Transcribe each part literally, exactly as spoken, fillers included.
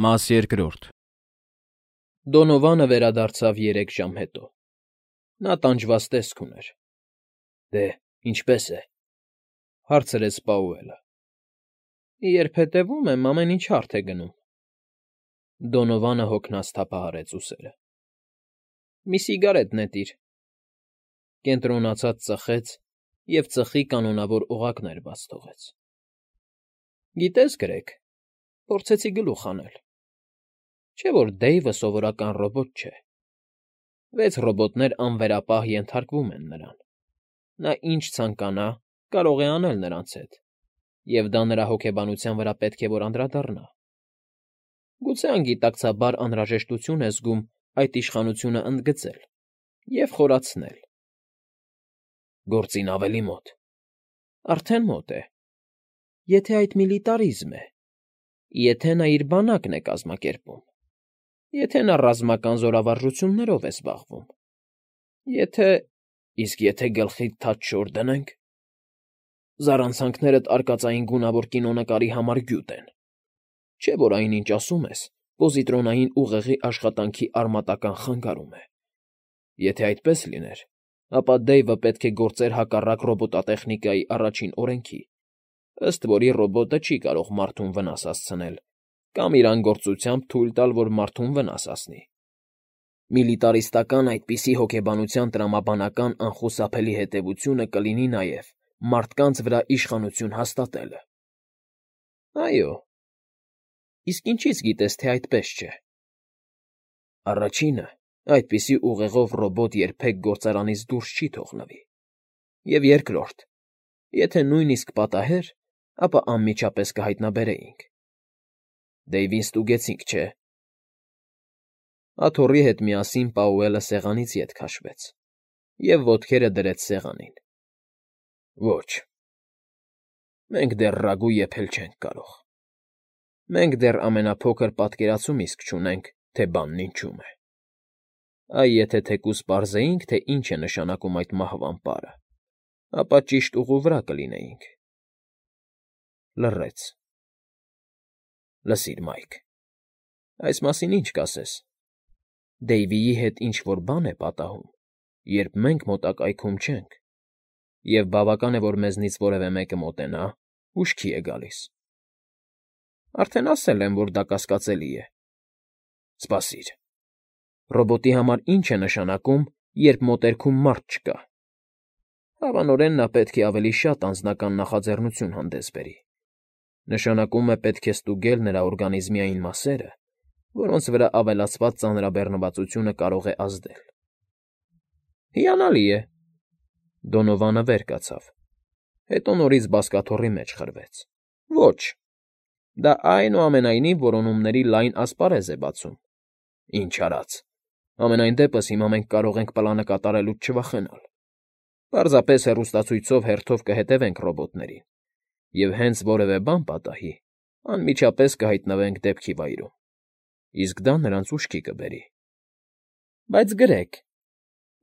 Մաս երկրորդ Դոնովանը վերադարձավ երեք ժամ հետո։ Նա տանջված տեսք ուներ։ ֊ Դե, ինչպե՞ս է,֊ հարցրեց Պաուելը։ ֊ Երբ հետևում եմ, ամեն ինչ հարթ է գնում։ Դոնովանը հոգնած թափահարեց ուսերը։ ֊ Մի սիգարետ նետիր,֊ կենտրոնացած ծխեց և ծխի կանոնավոր օղակներ բաց թողեց։ ֊ Գիտես, Գրեգ, փորձեցի գլուխ հանել։ Չէ՞ որ Դեյվը սովորական ռոբոտ չէ։ Վեց ռոբոտներ անվերապահ ենթարկվում են նրան։ Նա ինչ ցանկանա, կարող է անել նրանց հետ, և դա նրա հոգեբանության վրա պետք է որ անդրադառնա։ Գուցե անգիտակցաբար անհրաժեշտություն է զգում այդ իշխանությունը ընդգծել և խորացնել։ Գործին ավելի մոտ։ Արդեն մոտ է։ Եթե այդ միլիտարիզմ է, եթե նա իր բանակն է կազմակերպում, եթե նա ռազմական զորավարժություններով է զբաղվում, եթե… Իսկ եթե գլխիդ թաց չոր դնենք… Զառանցանքներդ արկածային գունավոր կինոնկարի համար գյուտ են, չէ՞ որ այնինչ ասում ես պոզիտրոնային ուղեղի աշխատանքի արմատական խանգարում է։ Եթե այդպես լիներ, ապա Դեյվը պետք է գործեր հակառակ ռոբոտատեխնիկայի առաջին օրենքի, ըստ որի ռոբոտը չի կարող մարդուն վնաս հասցնել կամ իր անգործությամբ թույլ տալ, որ մարդուն վնաս հասնի։ Միլիտարիստական այդպիսի հոգեբանության տրամաբանական անխուսափելի հետևությունը կլինի նաև մարդկանց վրա իշխանություն հաստատելը։ Այո։ Իսկ ինչի՞ց գիտես, թե այդպես չէ։ Առաջինը, այդպիսի ուղեղով ռոբոտ երբեք գործարանից դուրս չի թողնվի։ Եվ երկրորդ, եթե նույնիսկ պատահեր, ապա անմիջապես կհայտնաբերեինք։ Դեյվին ստուգեցինք, չէ՞։ Աթոռի հետ միասին Պաուելը սեղանից ետ քաշվեց և ոտքերը դրեց սեղանին։ Ոչ։ Մենք դեռ ռագու եփել չենք կարող։ Մենք դեռ ամենափոքր պատկերացում իսկ չունենք, թե բանն ինչում է։ Այ եթե թեկուզ պարզեինք, թե ինչ է նշանակում այդ մահվան պարը, ապա ճիշտ ուղու վրա կլինեինք։ Լռեց։ Լսիր, Մայք, այս մասին ինչ կասես։ Դեյվիի հետ ինչ֊որ բան է պատահում, երբ մենք մոտակայքում չենք, և բավական է, որ մեզնից որևէ մեկը մոտենա, հուշքի է գալիս։ Արդեն ասել եմ, որ դա կասկածելի է։ Սպասիր… Ռոբոտի համար ի՞նչ է նշանակում, երբ մոտերքում մարդ չկա։ Հավանորեն նա պետք է ավելի շատ անձնական նախաձեռնություն հանդես բերի։ Նշանակում է պետք է ստուգել նրա օրգանիզմի այն մասերը, որոնց վրա ավելացված ծանրաբեռնվածությունը կարող է ազդել։ Հիանալի է։ Դոնովանը վեր կացավ, հետո նորից բազկաթոռի մեջ խրվեց։ Ոչ։ Դա այնուամենայնիվ որոնումների լայն ասպարեզ է բացում։ Ինչ արած։ Համենայն դեպս հիմա մենք կարող ենք պլանը կատարելուց չվախենալ։ Պարզապես հեռուստացույցով հերթով կհետևենք ռոբոտներին, և հենց որևէ բան պատահի, անմիջապես կհայտնվենք դեպքի վայրում, իսկ դա նրանց ուշքի կբերի։ Բայց, Գրեգ,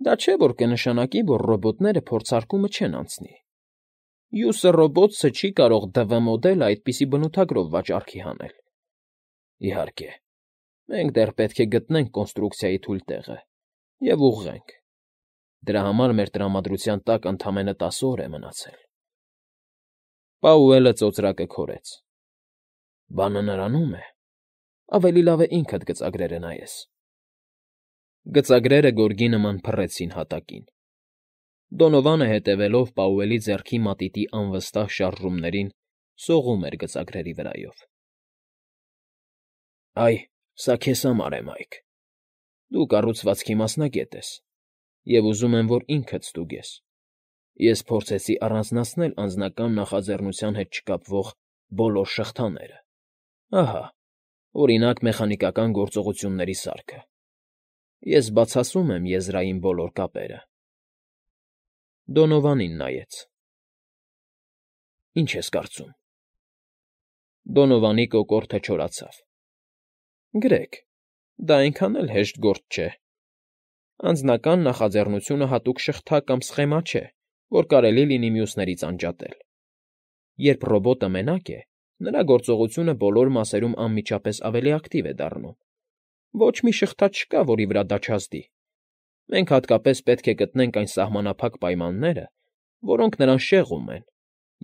դա չէ՞ որ կնշանակի, որ ռոբոտները փորձարկումը չեն անցնի։ Յուսը ռոբոտսը չի կարող Դ V մոդելը այդպիսի բնութագրով վաճառքի հանել։ Իհարկե, մենք դեռ պետք է գտնենք կոնստրուկցիայի թույլ տեղը և ուղղենք։ Դրա համար մեր տրամադրության տակ ընդամենը տասը օր է մնացել։ Պաուելը ծոծրակը քորեց։ Բանը նրանում է… Ավելի լավ է ինքդ գծագրերը նայես։ Գծագրերը գորգի նման փռեցին հատակին։ Դոնովանը, հետևելով Պաուելի ձեռքի մատիտի անվստահ շարժումներին, սողում էր գծագրերի վրայով։ Այ, սա քեզ համար է, Մայք։ Դու կառուցվածքի մասնագետ ես, և ուզում եմ, որ ինքդ ստուգես։ Ես փորձեցի առանձնացնել անձնական նախաձեռնության հետ չկապվող բոլոր շղթաները։ Ահա, օրինակ, մեխանիկական գործողությունների սարքը։ Ես բացասում եմ եզրային բոլոր կապերը։ Դոնովանին նայեց։ Ինչ ես կարծում։ Դոնովանի կոկորդը չորացավ։ Գրեգ, դա այնքան էլ հեշտ գործ չէ։ Անձնական նախաձեռնությունը հատուկ շղթա կամ սխեմա չէ, որ կարելի լինի մյուսներից անջատել։ Երբ ռոբոտը մենակ է, նրա գործողությունը բոլոր մասերում անմիջապես ավելի ակտիվ է դառնում։ Ոչ մի շղթա չկա, որի վրա դա չազդի։ Մենք հատկապես պետք է գտնենք այն սահմանափակ պայմանները, որոնք նրան շեղում են,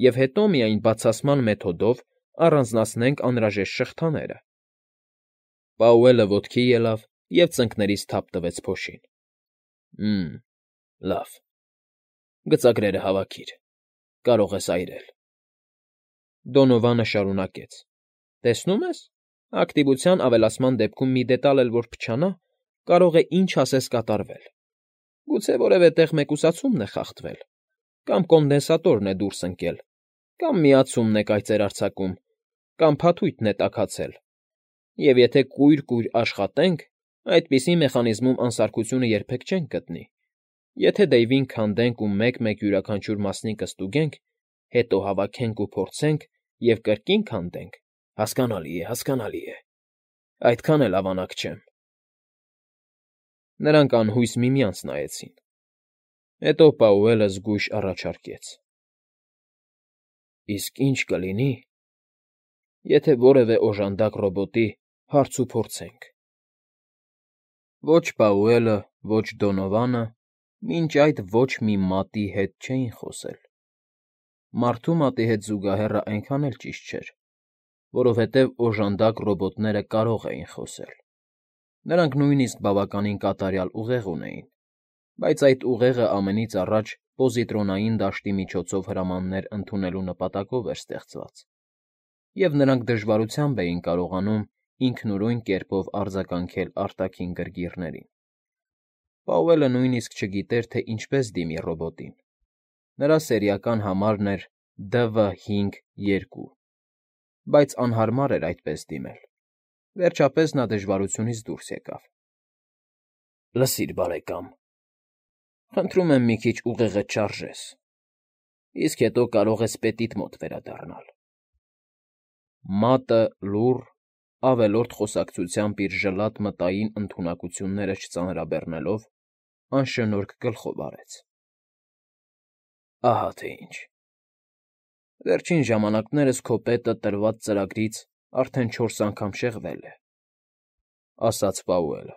և հետո միայն բացասման մեթոդով առանձնացնենք անհրաժեշտ շղթաները։ Պաուելը ոտքի ելավ և ծնկներից թափ տվեց փոշին։ Մմ, լավ, գծագրերը հավաքիր, կարող ես այրել։ Դոնովանը շարունակեց. Տեսնում ես, ակտիվության ավելացման դեպքում մի դետալ էլ որ փչանա, կարող է ինչ ասես կատարվել։ Գուցե որևէ տեղ մեկուսացումն է խախտվել, կամ կոնդենսատորն է դուրս ընկել, կամ միացումն է կայծեր արձակում, կամ փաթույթն է տաքացել, և եթե կույր֊կույր աշխատենք, այդպիսի մեխանիզմում անսարքությունը երբեք չենք գտնի։ Եթե Դեյվին քանդենք ու մեկ֊մեկ յուրաքանչյուր մասնիկը ստուգենք, հետո հավաքենք ու փորձենք և կրկին քանդենք, հասկանալի է, հասկանալի է, այդքան էլ ավանակ չեմ։ Նրանք անհույս միմյանց նայեցին։ Հետո Պաուելը զգույշ առաջարկեց. Իսկ ի՞նչ կլինի, եթե որևէ օժանդակ ռոբոտի հարց ու փորձենք։ Ոչ Պաուելը, ոչ Դոնովանը մինչ այդ ոչ մի մատի հետ չէին խոսել։ Մարդու մատի հետ զուգահեռը այնքան էլ ճիշտ չէր, որովհետև օժանդակ ռոբոտները կարող էին խոսել։ Նրանք նույնիսկ բավականին կատարյալ ուղեղ ունեին, բայց այդ ուղեղը ամենից առաջ պոզիտրոնային դաշտի միջոցով հրամաններ ընդունելու նպատակով էր ստեղծված, և նրանք դժվարությամբ էին կարողանում ինքնուրույն կերպով արձագանքել արտաքին գրգիռներին։ Պաուելը նույնիսկ չգիտեր, թե ինչպես դիմի ռոբոտին։ Նրա սերիական համարն էր Դ V հինգ երկու, բայց անհարմար էր այդպես դիմել։ Վերջապես նա դժվարությունից դուրս եկավ։ Լսիր, բարեկամ, խնդրում եմ մի քիչ ուղեղդ չարժես, իսկ հետո կարող ես պետիդ մոտ վերադառնալ։ Մատը լուռ, ավելորդ խոսակցությամբ իր ժլատ մտային ընդունակությունները չծանրաբեռնելով, անշնորհք գլխով արեց։ Ահա թե ինչ։ Վերջին ժամանակներս քո պետը տրված ծրագրից արդեն չորս անգամ շեղվել է, ասաց Պաուելը։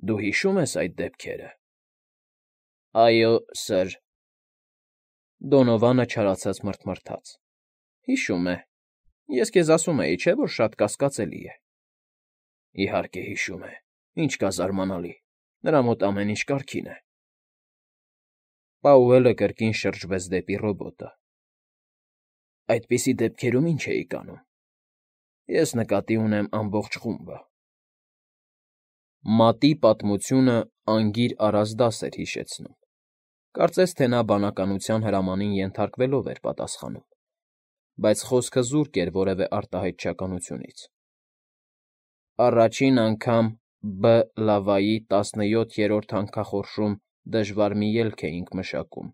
Դու հիշո՞ւմ ես այդ դեպքերը։ Այո, սըր։ Դոնովանը չարացած մռթմռթաց։ Հիշում է։ Ես քեզ ասում էի, չէ՞ որ շատ կասկածելի է։ Իհարկե հիշում է, ինչ կա զարմանալի, նրա մոտ ամեն ինչ կարգին է։ Պաուելը կրկին շրջվեց դեպի ռոբոտը։ Այդպիսի դեպքերում ի՞նչ էիք անում։ Ես նկատի ունեմ ամբողջ խումբը։ Մատի պատմությունը անգիր առած դաս էր հիշեցնում։ Կարծես թե նա բանականության հրամանին ենթարկվելով էր պատասխանում, բայց խոսքը զուրկ էր որևէ արտահայտչականությունից։ Առաջին անգամ B լավայի տասնյոթերորդ հանքախորշում դժվար մի ելք էինք մշակում,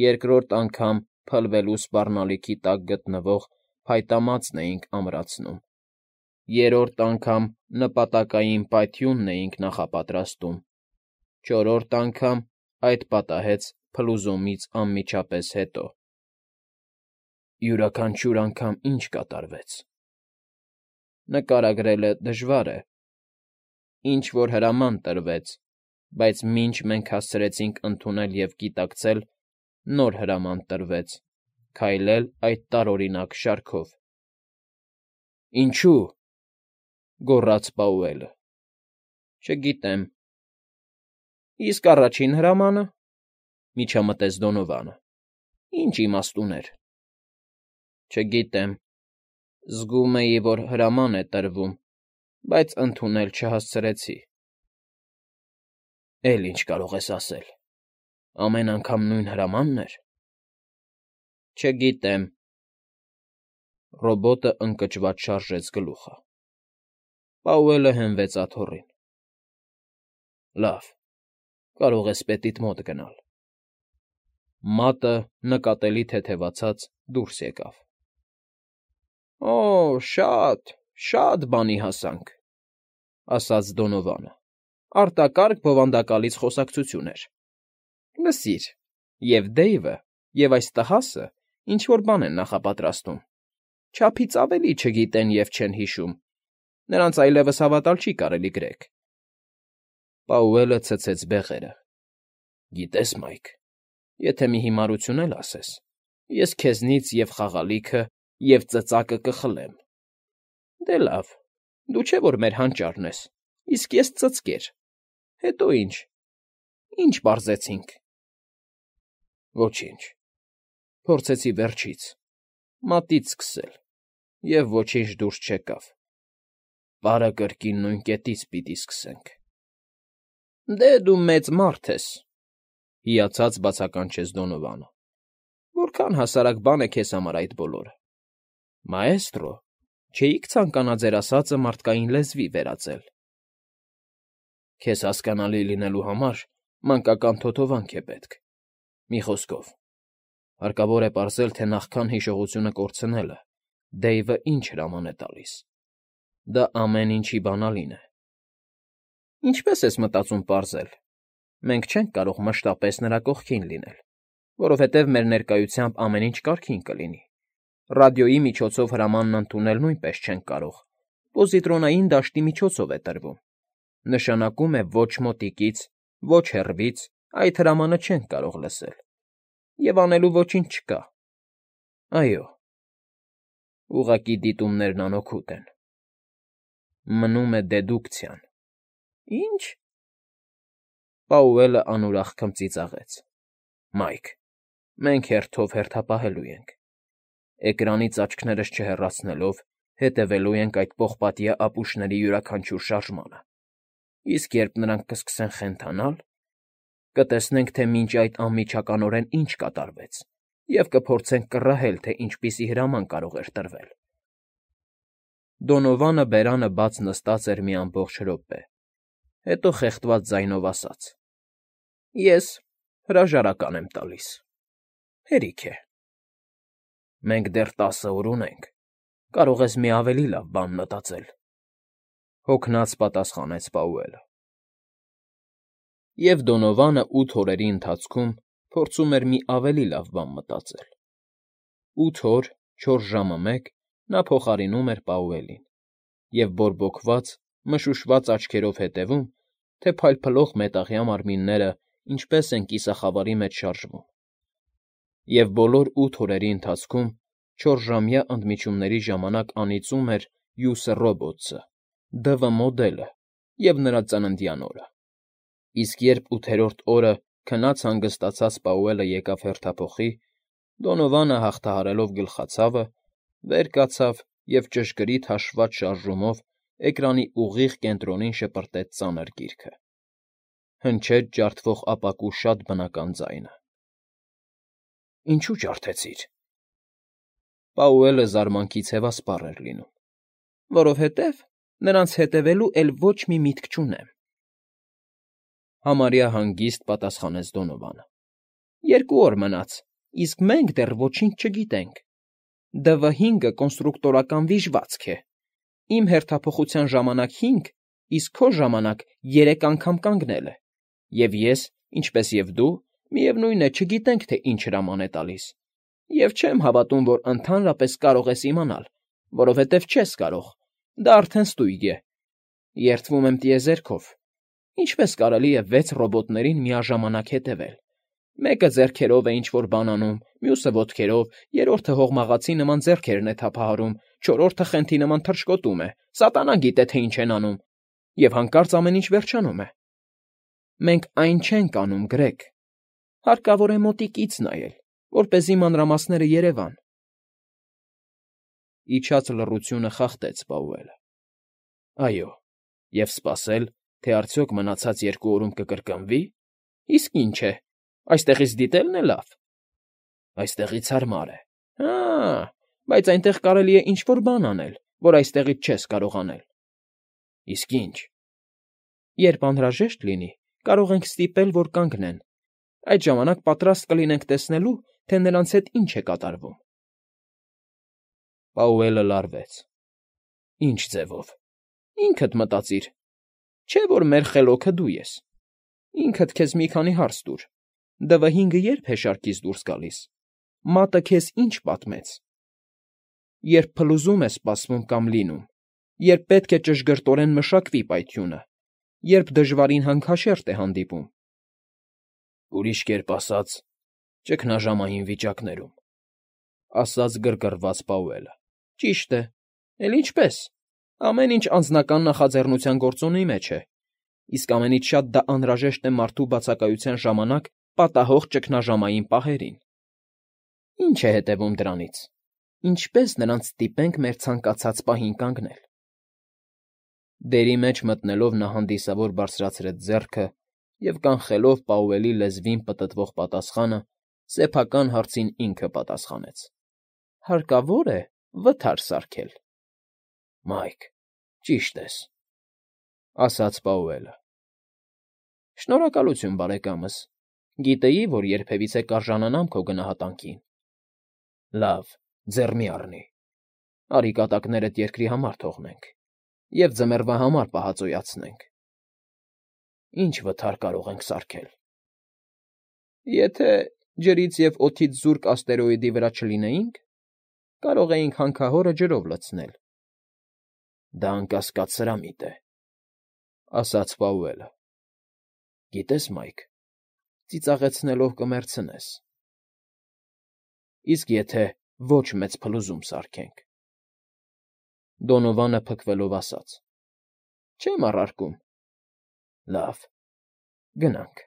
երկրորդ անգամ փլվելու սպառնալիքի տակ գտնվող փայտամածն էինք ամրացնում, երրորդ անգամ նպատակային պայթյունն էինք նախապատրաստում, չորրորդ անգամ այդ պատահեց փլուզումից անմիջապես հետո։ Յուրաքանչյուր անգամ ի՞նչ կատարվեց։ Նկարագրելը դժվար է։ Ինչ֊որ հրաման տրվեց, բայց մինչ մենք հասցրեցինք ընդունել և գիտակցել, նոր հրաման տրվեց՝ քայլել այդ տարօրինակ շարքով։ Ինչո՞ւ,֊ գոռաց Պաուելը։ Չգիտեմ։ Իսկ առաջին հրամանը,֊ միջամտեց Դոնովանը, ի՞նչ իմաստ ուներ։ Չգիտեմ։ Զգում էի, որ հրաման է տրվում, բայց ընդունել չհասցրեցի։ Էլ ինչ կարող ես ասել։ Ամեն անգամ նույն հրամանն էր։ Չգիտեմ։ Ռոբոտը ընկճված շարժեց գլուխը։ Պաուելը հենվեց աթոռին։ Լավ, կարող ես պետիդ մոտ գնալ։ Մատը, նկատելի թեթևացած, դուրս եկավ։ Օ, շատ, շատ բանի հասանք,֊ ասաց Դոնովանը։ Արտակարգ բովանդակալից խոսակցություն էր։ Լսիր, և Դեյվը, և այս տհասը ինչ֊որ բան են նախապատրաստում։ չափից ավելի չգիտեն և չեն հիշում, նրանց այլևս հավատալ չի կարելի, Գրեգ… Պաուելը ցցեց բեղերը։ ֊ Գիտես, Մայք, եթե մի հիմարություն էլ ասես, ես քեզնից և՛ խաղալիքը, և՛ ծծակը կխլեմ։ ֊ Դե լավ, դու չէ՞ որ մեր հանճարն ես, իսկ ես ծծկեր… Հետո ի՞նչ… Ի՞նչ պարզեցինք… ֊ Ոչինչ… Փորձեցի վերջից, մատից սկսել, և ոչինչ դուրս չեկավ… Պարը կրկին նույն կետից պիտի սկսենք… ֊ Դե դու մեծ մարդ ես,֊ հիացած բացականչեց Դոնովանը։֊ Որքան հասարակ բան է քեզ համար այդ բոլորը… Մաեստրո, չէի՞ք ցանկանա ձեր ասածը մարդկային լեզվի վերածել… Քեզ հասկանալի լինելու համար մանկական թոթովանք է պետք… Մի խոսքով, հարկավոր է պարզել, թե նախքան հիշողությունը կորցնելը Դեյվը ինչ հրաման է տալիս… Դա ամեն ինչի բանալին է… ֊ Ինչպե՞ս ես մտածում պարզել… Մենք չենք կարող մշտապես նրա կողքին լինել, որովհետև մեր ներկայությամբ ամեն ինչ կարգին կլինի, ռադիոյի միջոցով հրամանն ընդունել նույնպես չենք կարող, պոզիտրոնային դաշտի միջոցով է տրվում, նշանակում է ոչ մոտիկից, ոչ հեռվից այդ հրամանը չենք կարող լսել, և անելու ոչինչ չկա… Այո, ուղղակի դիտումներն անօգուտ են… Մնում է դեդուկցիան… ֊ Ի՞նչ… Պաուելը անուրախ քմծիծաղեց…֊ Մայք, մենք հերթով հերթապահելու ենք… Էկրանից աչքներս չհեռացնելով հետևելու ենք այդ պողպատյա ապուշների յուրաքանչյուր շարժմանը, իսկ երբ նրանք կսկսեն խենթանալ, կտեսնենք, թե մինչ այդ անմիջականորեն ինչ կատարվեց, և կփորձենք կռահել, թե ինչպիսի հրաման կարող էր տրվել… Դոնովանը բերանը բաց նստած էր մի ամբողջ րոպե, հետո խեղդված ձայնով ասաց. ֊ Ես հրաժարական եմ տալիս… Հերիք է… Մենք դեռ տասը օր ունենք, կարող ես մի ավելի լավ բան մտածել…֊ հոգնած պատասխանեց Պաուելը։ Եվ Դոնովանը ութ օրերի ընթացքում փորձում էր մի ավելի լավ բան մտածել… Ութ օր, չորս ժամը մեկ նա փոխարինում էր Պաուելին և բորբոքված, մշուշված աչքերով հետևում, թե փայլփլող մետաղյա մարմինները ինչպես են կիսախավարի մեջ շարժվում… Եվ բոլոր ութ օրերի ընթացքում չորսժամյա ընդմիջումների ժամանակ անիծում էր Յուսը Ռոբոտսը, Դ.V. մոդելը և նրա ծննդյան օրը… Իսկ երբ ութերորդ օրը քնած հանգստացած Պաուելը եկավ հերթափոխի, Դոնովանը, հաղթահարելով գլխացավը, վեր կացավ և ճշգրիտ հաշվված շարժումով էկրանի ուղիղ կենտրոնին շպրտեց ծանր գիրքը… Հնչեց ջարդվող ապակու շատ բնական ձայնը։ ֊ Ինչո՞ւ ջարդեցիր…֊ Պաուելը զարմանքից հևասպառ էր լինում։ ֊ Որովհետև նրանց հետևելու էլ ոչ մի միտք չունեմ,֊ համարյա հանգիստ պատասխանեց Դոնովանը։֊ Երկու օր մնաց, իսկ մենք դեռ ոչինչ չգիտենք… Դ V հինգը կոնստրուկտորական վիժվածք է, իմ հերթափոխության ժամանակ հինգ, իսկ քո ժամանակ երեք անգամ կանգնել է, և ես, ինչպես և դու, միևնույն է, չգիտենք, թե ինչ հրաման է տալիս, և չեմ հավատում, որ ընդհանրապես կարող ես իմանալ, որովհետև չես կարող, դա արդեն ստույգ է… Երդվում եմ տիեզերքով, ինչպե՞ս կարելի է վեց ռոբոտներին միաժամանակ հետևել… Մեկը ձեռքերով է ինչ֊որ բան անում, մյուսը՝ ոտքերով, երրորդը հողմաղացի նման ձեռքերն է թափահարում, չորրորդը խենթի նման թռչկոտում է, սատանա գիտե, թե ինչ են անում… Եվ հանկարծ ամեն ինչ վերջանում է… Մենք այն չենք անում, Գրեգ… Հարկավոր է մոտիկից նայել, որպեսզի մանրամասները երևան… Իջած լռությունը խախտեց Պաուելը։ ֊ Այո, և սպասել, թե արդյոք մնացած երկու օրում կկրկնվի՞… Իսկ ինչ է, այստեղից դիտելն է լավ… Այստեղից հարմար է… Հա՜, բայց այնտեղ կարելի է ինչ֊որ բան անել, որ այստեղից չես կարող անել… Իսկ ի՞նչ… Երբ անհրաժեշտ լինի, կարող ենք ստիպել, որ կանգնեն… Այդ ժամանակ պատրաստ կլինենք տեսնելու, թե նրանց հետ ինչ է կատարվում… Պաուելը լարվեց։ ֊ Ի՞նչ ձևով… Ինքդ մտածիր… Չէ՞ որ մեր խելոքը դու ես… Ինքդ քեզ մի քանի հարց տուր… Դ V հինգը ե՞րբ է շարքից դուրս գալիս… Մատը քեզ ի՞նչ պատմեց… երբ փլուզում է սպասվում կամ լինում, երբ պետք է ճշգրտորեն մշակվի պայթյունը, երբ դժվարին հանքաշերտ է հանդիպում։ Ուրիշ կերպ ասած, ճգնաժամային վիճակներում, ասաց գրգռված Պաուելը։ Ճիշտ է, էլ ինչպես, ամեն ինչ անձնական նախաձեռնության գործոնի մեջ է, իսկ ամենից շատ դա անհրաժեշտ է մարդու բացակայության ժամանակ պատահող ճգնաժամային պահերին։ Ինչ է հետևում դրանից, ինչպես նրանց ստիպենք մեր ցանկացած պահին կանգնել։ Դերի մեջ մտնելով նա հանդիսավոր բարձրացրեց ձեռքը և, կանխելով Պաուելի լեզվին պտտվող պատասխանը, սեփական հարցին ինքը պատասխանեց. Հարկավո՞ր է վթար սարքել։ ֊ Մայք, ճիշտ ես,֊ ասաց Պաուելը։ ֊ Շնորհակալություն, բարեկամս, գիտեի, որ երբևիցե կարժանանամ քո գնահատանքին։ ֊ Լավ, ձեռ մի առնի, արի կատակներդ երկրի համար թողնենք և ձմեռվա համար պահածոյացնենք։ ֊ Ի՞նչ վթար կարող ենք սարքել։ ֊ Եթե ջրից և օդից զուրկ աստերոիդի վրա չլինեինք, կարող էինք հանքահորը ջրով լցնել։ ֊ Դա անկասկած սրամիտ է,֊ ասաց Պաուելը։ Գիտես, Մայք, ծիծաղեցնելով կմեռցնես։ ֊ Իսկ եթե ոչ մեծ փլուզում սարքենք,֊ Դոնովանը փքվելով ասաց։ ֊ Չեմ առարկում։ ֊ Լավ, գնանք։